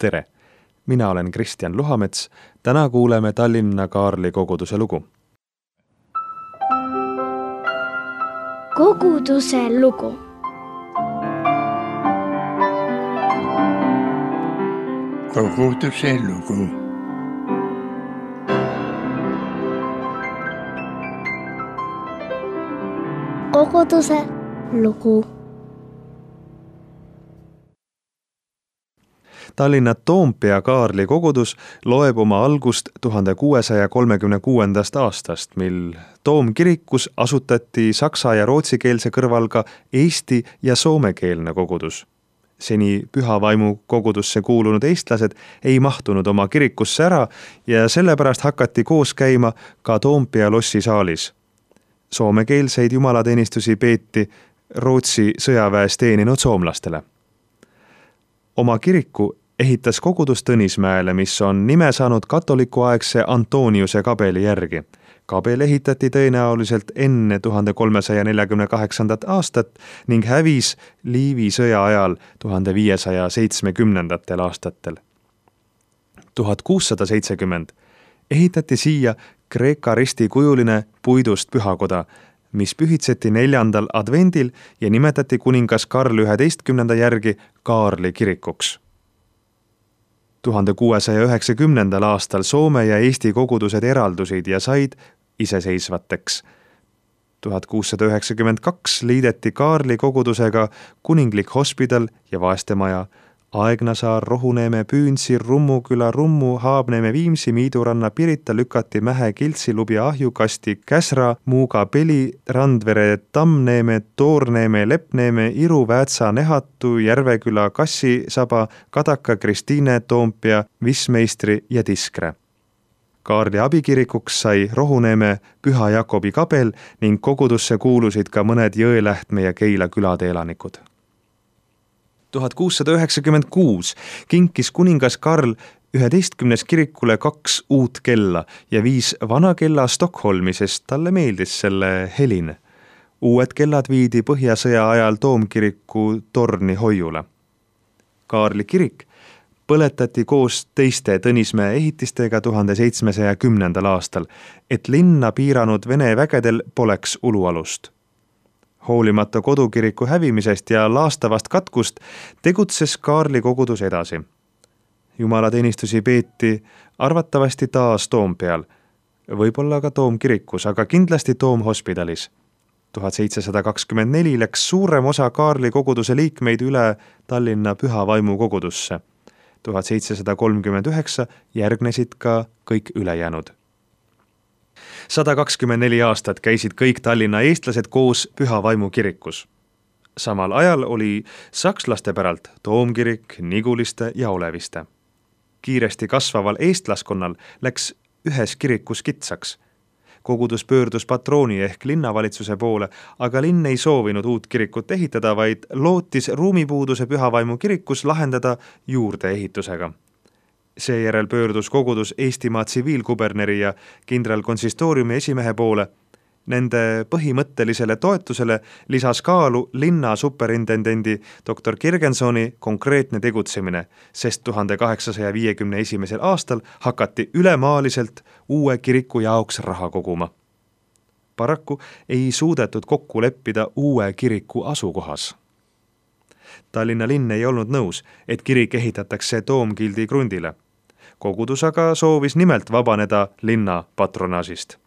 Tere! Mina olen Kristjan Luhamets. Täna kuuleme Tallinna Kaarli koguduse lugu. Koguduse lugu. Koguduse lugu. Koguduse lugu. Tallinna Toompea Kaarli kogudus loeb oma algust 1636. aastast, mil Toomkirikus asutati saksa- ja rootsikeelse kõrval ka eesti- ja soomekeelne kogudus. Seni Pühavaimu kogudusse kuulunud eestlased ei mahtunud oma kirikusse ära ja sellepärast hakati koos käima ka Toompea lossi saalis. Soomekeelseid jumalateenistusi peeti Rootsi sõjaväes teeninud soomlastele. Oma kiriku ehitas kogudus Tõnismäele, mis on nime saanud katolikuaegse Antoniuse kabeli järgi. Kabel ehitati tõenäoliselt enne 1348. aastat ning hävis Liivi sõja ajal 1570. aastatel. 1670 ehitati siia Kreeka ristikujuline puidust pühakoda, mis pühitseti 4. advendil ja nimetati kuningas Karl 11. järgi Kaarli kirikuks. 1690. aastal Soome ja Eesti kogudused eraldusid ja said iseseisvateks. 1692 liideti Kaarli kogudusega Kuninglik Hospidal ja Vaestemaja, Aegnasaar, Rohuneeme, Püünsi, Rummuküla, Rummu, Haabneeme, Viimsi, Miiduranna, Pirita, Lükati, Mähe, Kiltsi, Lubja, Ahju, Kasti, Käsra, Muuga, Peli, Randvere, Tammneeme, Toorneeme, Lepneeme, Iru, Väätsa, Nehatu, Järveküla, Kassisaba, Kadaka, Kristiine, Toompea, Vismeistri ja Tiskre. Kaarli abikirikuks sai Rohuneeme Püha Jakobi kabel ning kogudusse kuulusid ka mõned Jõelähtme ja Keila külade elanikud. 1696 kinkis kuningas Karl 11. kirikule 2 uut kella ja 5 vana kella Stockholmi, sest talle meeldis selle helin. Uued kellad viidi Põhjasõja ajal Toomkiriku torni hoiule. Kaarli kirik põletati koos teiste Tõnismäe ehitistega 1710. aastal, et linna piiranud Vene vägedel poleks ulualust. Hoolimata kodukiriku hävimisest ja laastavast katkust tegutses Kaarli kogudus edasi. Jumalateenistusi peeti arvatavasti taas Toompeal, võib-olla ka Toomkirikus, aga kindlasti Toomhospitalis. 1724 läks suurem osa Kaarli koguduse liikmeid üle Tallinna Pühavaimu kogudusse. 1739 järgnesid ka kõik ülejäänud. 124 aastat käisid kõik Tallinna eestlased koos Pühavaimu kirikus. Samal ajal oli sakslaste päralt Toomkirik, Niguliste ja Oleviste. Kiiresti kasvaval eestlaskonnal läks ühes kirikus kitsaks. Kogudus pöördus patrooni ehk linnavalitsuse poole, aga linn ei soovinud uut kirikut ehitada, vaid lootis ruumipuuduse Pühavaimu kirikus lahendada juurdeehitusega. Seejärel pöördus kogudus Eestimaa tsiviilkuberneri ja kindralkonsistooriumi esimehe poole. Nende põhimõttelisele toetusele lisas kaalu linna superintendendi dr. Kirgensoni konkreetne tegutsemine, sest 1851. aastal hakati ülemaaliselt uue kiriku jaoks raha koguma. Paraku ei suudetud kokku leppida uue kiriku asukohas. Tallinna linn ei olnud nõus, et kirik ehitatakse Toomkildi krundile. Kogudus aga soovis nimelt vabaneda linna patronaasist.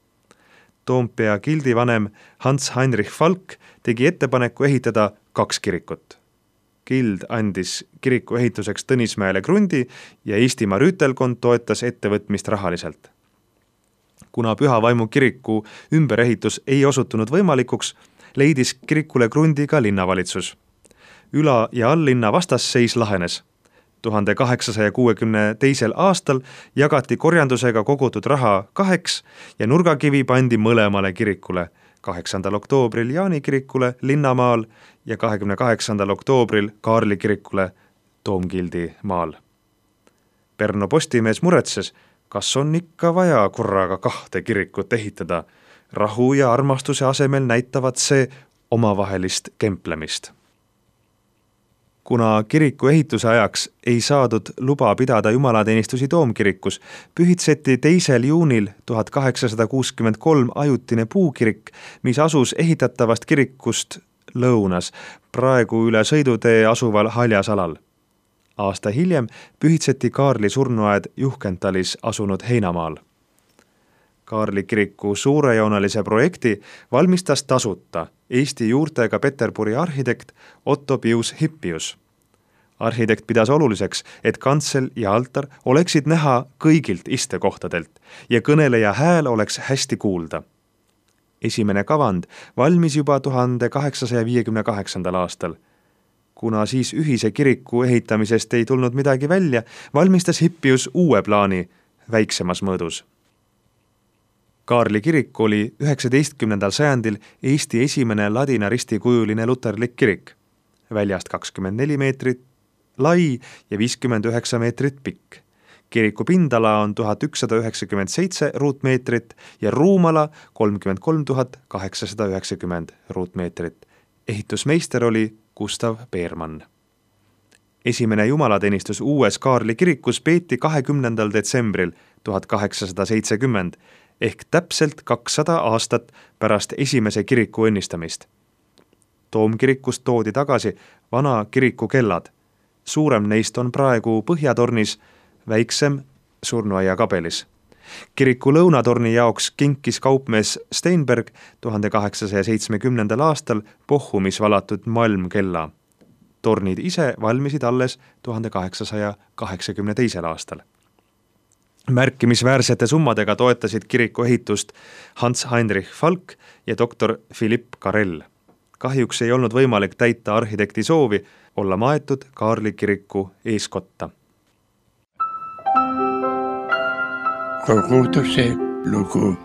Toompea kildivanem Hans-Heinrich Falk tegi ettepaneku ehitada 2 kirikut. Kild andis kiriku ehituseks Tõnismäele krundi ja Eestimaa rüütelkond toetas ettevõtmist rahaliselt. Kuna Pühavaimu kiriku ümberehitus ei osutunud võimalikuks, leidis kirikule krundi ka linnavalitsus. Üla- ja alllinna vastasseis lahenes. 1862. aastal jagati korjandusega kogutud raha 2 ja nurgakivi pandi mõlemale kirikule, 8. oktoobril Jaani kirikule Linnamaal ja 28. oktoobril Kaarli kirikule Toomkildi maal. Pärnu Postimees muretses, kas on ikka vaja korraga 2 kirikut ehitada. Rahu ja armastuse asemel näitavad see omavahelist kemplemist. Kuna kiriku ehituse ajaks ei saadud luba pidada jumalateenistusi toomkirikus, pühitseti 2. juunil 1863 ajutine puukirik, mis asus ehitatavast kirikust lõunas, praegu üle sõidutee asuval haljasalal. Aasta hiljem pühitseti Kaarli surnuaed Juhkentalis asunud heinamaal. Kaarli kiriku suurejoonelise projekti valmistas tasuta Eesti juurtega Peterburi arhitekt Otto Pius Hippius. Arhitekt pidas oluliseks, et kantsel ja altar oleksid näha kõigilt istekohtadelt ja kõneleja hääl oleks hästi kuulda. Esimene kavand valmis juba 1858. aastal. Kuna siis ühise kiriku ehitamisest ei tulnud midagi välja, valmistas Hippius uue plaani väiksemas mõõdus. Kaarli kirik oli 19. sajandil Eesti esimene ladina ristikujuline luterlik kirik. Väljast 24 meetrit lai ja 59 meetrit pikk. Kiriku pindala on 1197 ruutmeetrit ja ruumala 33 890 ruutmeetrit. Ehitusmeister oli Gustav Beermann. Esimene jumalateenistus uues Kaarli kirikus peeti 20. detsembril 1870 ehk täpselt 200 aastat pärast esimese kiriku õnnistamist. Toomkirikust toodi tagasi vana kiriku kellad. Suurem neist on praegu Põhjatornis, väiksem surnuaia kabelis. Kiriku lõunatorni jaoks kinkis kaupmees Steinberg 1870. aastal Bochumis valatud malmkella. Tornid ise valmisid alles 1882. aastal. Märkimisväärsete summadega toetasid kiriku ehitust Hans Heinrich Falk ja doktor Philipp Karell. Kahjuks ei olnud võimalik täita arhitekti soovi olla maetud Kaarli kiriku eeskotta. Koguduse lugu.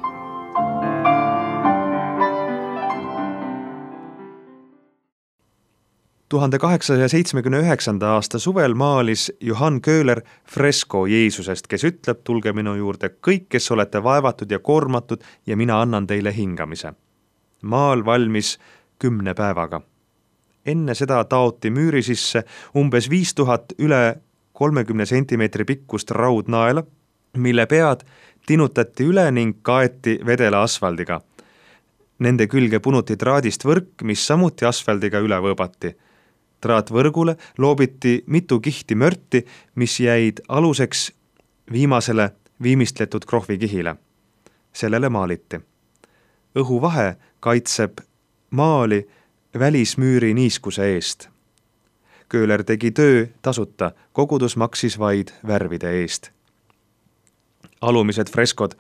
aasta suvel maalis Johann Köhler fresko Jeesusest, kes ütleb, tulge minu juurde kõik, kes olete vaevatud ja koormatud ja mina annan teile hingamise. Maal valmis 10 päevaga. Enne seda taoti müüri sisse umbes 5000 üle 30 sentimeetri pikkust raudnaela, mille pead tinutati üle ning kaeti vedela asfaldiga. Nende külge punuti traadist võrk, mis samuti asfaldiga üle võõbati. Traatvõrgule loobiti mitu kihti mörti, mis jäid aluseks viimasele viimistletud krohvikihile. Sellele maaliti. Õhuvahe kaitseb maali välismüüri niiskuse eest. Köhler tegi töö tasuta, kogudus maksis vaid värvide eest. Alumised freskod,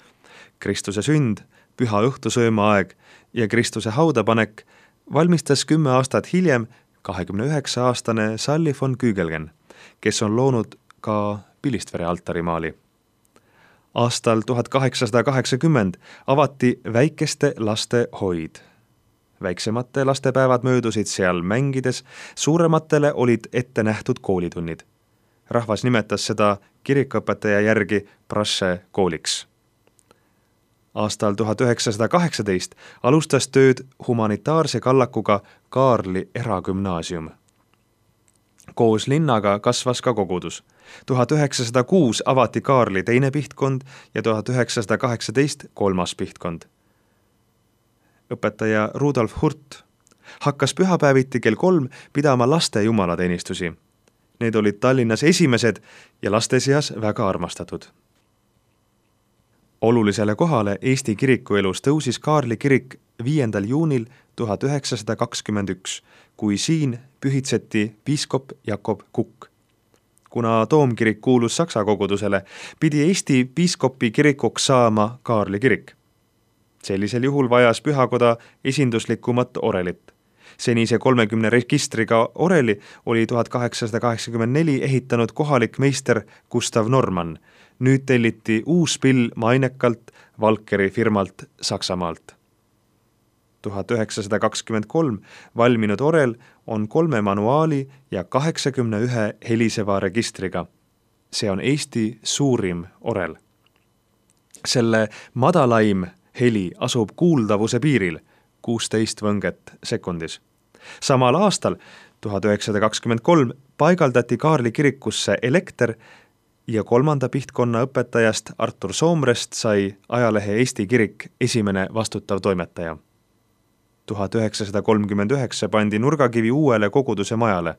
Kristuse sünd, püha õhtusööma aeg ja Kristuse haudapanek valmistas 10 aastat hiljem 29-aastane Sally von Kügelgen, kes on loonud ka Pilistvere altarimaali. Aastal 1880 avati väikeste laste hoid. Väiksemate lastepäevad möödusid seal mängides, suurematele olid ette nähtud koolitunnid. Rahvas nimetas seda kirikuõpetaja järgi Brasse kooliks. Aastal 1918 alustas tööd humanitaarse kallakuga Kaarli eragümnaasium. Koos linnaga kasvas ka kogudus. 1906 avati Kaarli teine pihtkond ja 1918 kolmas pihtkond. Õpetaja Rudolf Hurt hakkas pühapäeviti kell 3 pidama laste jumalateenistusi. Need olid Tallinnas esimesed ja laste seas väga armastatud. Olulisele kohale Eesti kirikuelus tõusis Kaarli kirik 5. juunil 1921, kui siin pühitseti piiskop Jakob Kukk. Kuna toomkirik kuulus Saksa kogudusele, pidi Eesti piiskopi kirikuks saama Kaarli kirik. Sellisel juhul vajas pühakoda esinduslikumat orelit. Senise 30 registriga oreli oli 1884 ehitanud kohalik meister Gustav Normann. Nüüd telliti uus pill mainekalt Valkeri firmalt Saksamaalt. 1923 valminud orel on 3 manuaali ja 81 heliseva registriga. See on Eesti suurim orel. Selle madalaim heli asub kuuldavuse piiril 16 võnget sekundis. Samal aastal, 1923, paigaldati Kaarli kirikusse elekter ja 3. pihtkonna õpetajast Artur Soomrest sai ajalehe Eesti Kirik esimene vastutav toimetaja. 1939 pandi nurgakivi uuele koguduse majale.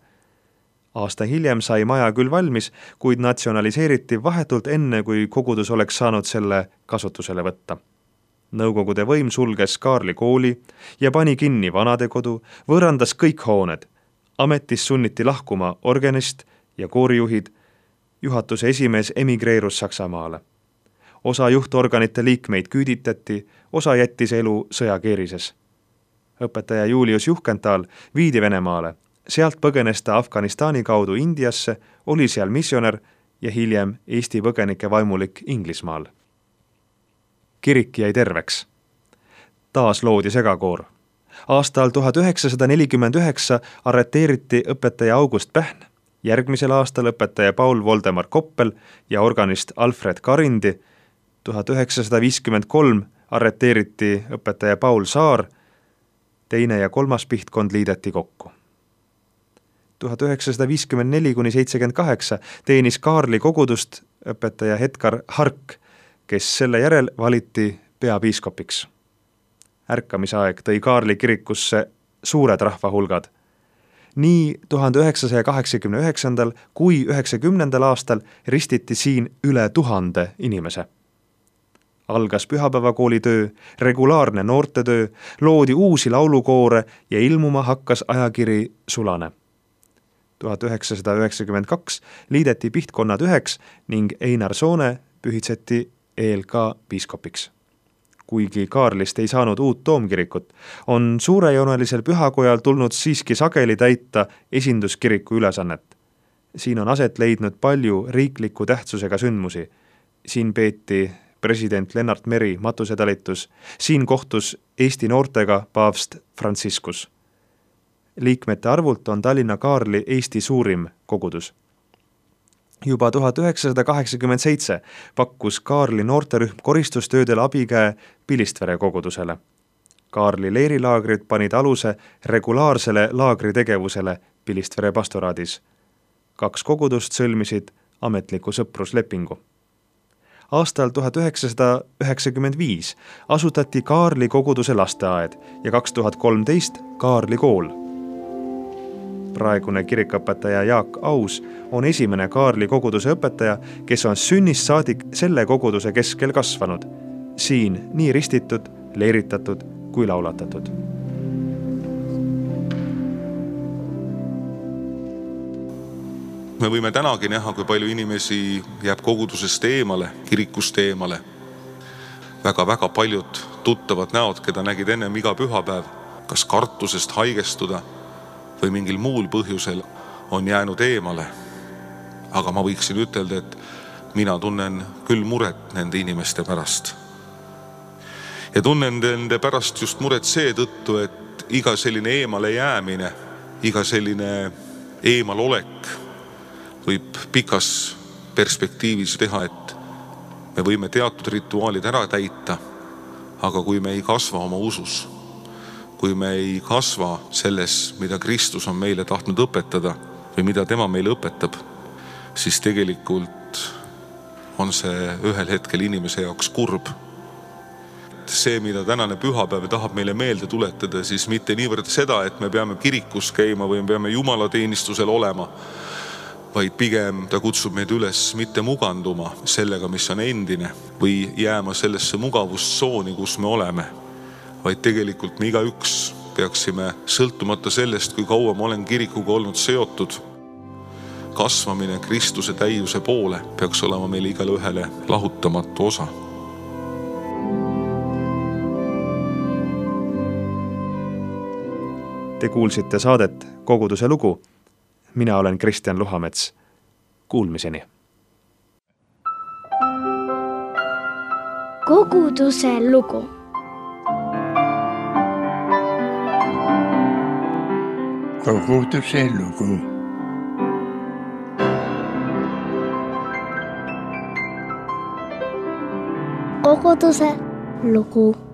Aasta hiljem sai maja küll valmis, kuid natsionaliseeriti vahetult enne, kui kogudus oleks saanud selle kasutusele võtta. Nõukogude võim sulges Kaarli kooli ja pani kinni vanadekodu, võõrandas kõik hooned. Ametis sunniti lahkuma organist ja koorijuhid, juhatuse esimees emigreerus Saksamaale. Osa juhtorganite liikmeid küüditati, osa jättis elu sõjakeerises. Õpetaja Julius Juhkenthal viidi Venemaale. Sealt põgenes ta Afganistani kaudu Indiasse, oli seal missionär ja hiljem Eesti põgenike vaimulik Inglismaal. Kirik jäi terveks. Taas loodi segakoor. Aastal 1949 arreteeriti õpetaja August Pähn, järgmisel aastal õpetaja Paul Voldemar Koppel ja organist Alfred Karindi. 1953 arreteeriti õpetaja Paul Saar, teine ja 3. pihtkond liideti kokku. 1954–78 teenis Kaarli kogudust õpetaja Edgar Hark, kes selle järel valiti peapiiskopiks. Ärkamisaeg tõi Kaarli kirikusse suured rahvahulgad. Nii 1989. kui 90. aastal ristiti siin üle 1000 inimese. Algas pühapäevakooli töö, regulaarne noortetöö, loodi uusi laulukoore ja ilmuma hakkas ajakiri Sulane. 1992 liideti pihtkonnad üheks ning Einar Soone pühitseti ELK piiskopiks. Kuigi Kaarlist ei saanud uut toomkirikut, on suurejoonelisel pühakojal tulnud siiski sageli täita esinduskiriku ülesannet. Siin on aset leidnud palju riikliku tähtsusega sündmusi. Siin peeti president Lennart Meri matusetalitus, siin kohtus Eesti noortega paavst Franciscus. Liikmete arvult on Tallinna Kaarli Eesti suurim kogudus. Juba 1987 pakkus Kaarli noorterühm koristustöödel abikäe Pilistvere kogudusele. Kaarli leerilaagrid panid aluse regulaarsele laagritegevusele Pilistvere pastoraadis. 2 kogudust sõlmisid ametliku sõpruslepingu. Aastal 1995 asutati Kaarli koguduse lasteaed ja 2013 Kaarli kool. Praegune kirikõpetaja Jaak Aus on esimene Kaarli koguduse õpetaja, kes on sünnist saadik selle koguduse keskel kasvanud. Siin nii ristitud, leeritatud kui laulatatud. Me võime tänagi näha, kui palju inimesi jääb kogudusest eemale, kirikust eemale. Väga paljud tuttavad näod, keda nägid ennem iga pühapäev, kas kartusest haigestuda või mingil muul põhjusel on jäänud eemale. Aga ma võiksin ütelda, et mina tunnen küll muret nende inimeste pärast. Ja tunnen nende pärast just muret seetõttu, et iga selline eemale jäämine, iga selline eemalolek võib pikas perspektiivis teha, et me võime teatud rituaalid ära täita, aga kui me ei kasva oma usus, kui me ei kasva selles, mida Kristus on meile tahtnud õpetada või mida tema meile õpetab, siis tegelikult on see ühel hetkel inimese jaoks kurb. See, mida tänane pühapäev tahab meile meelde tuletada, siis mitte niivõrd seda, et me peame kirikus käima või me peame jumalateenistusel olema, vaid pigem ta kutsub meid üles mitte muganduma sellega, mis on endine või jääma sellesse mugavustsooni, kus me oleme, vaid tegelikult me igaüks peaksime sõltumata sellest, kui kaua ma olen kirikuga olnud seotud, kasvamine Kristuse täiuse poole peaks olema meil igale ühele lahutamatu osa. Te kuulsite saadet Koguduse lugu. Mina olen Kristjan Luhamets. Kuulmiseni. Koguduse lugu. Koguduse lugu. Koguduse lugu.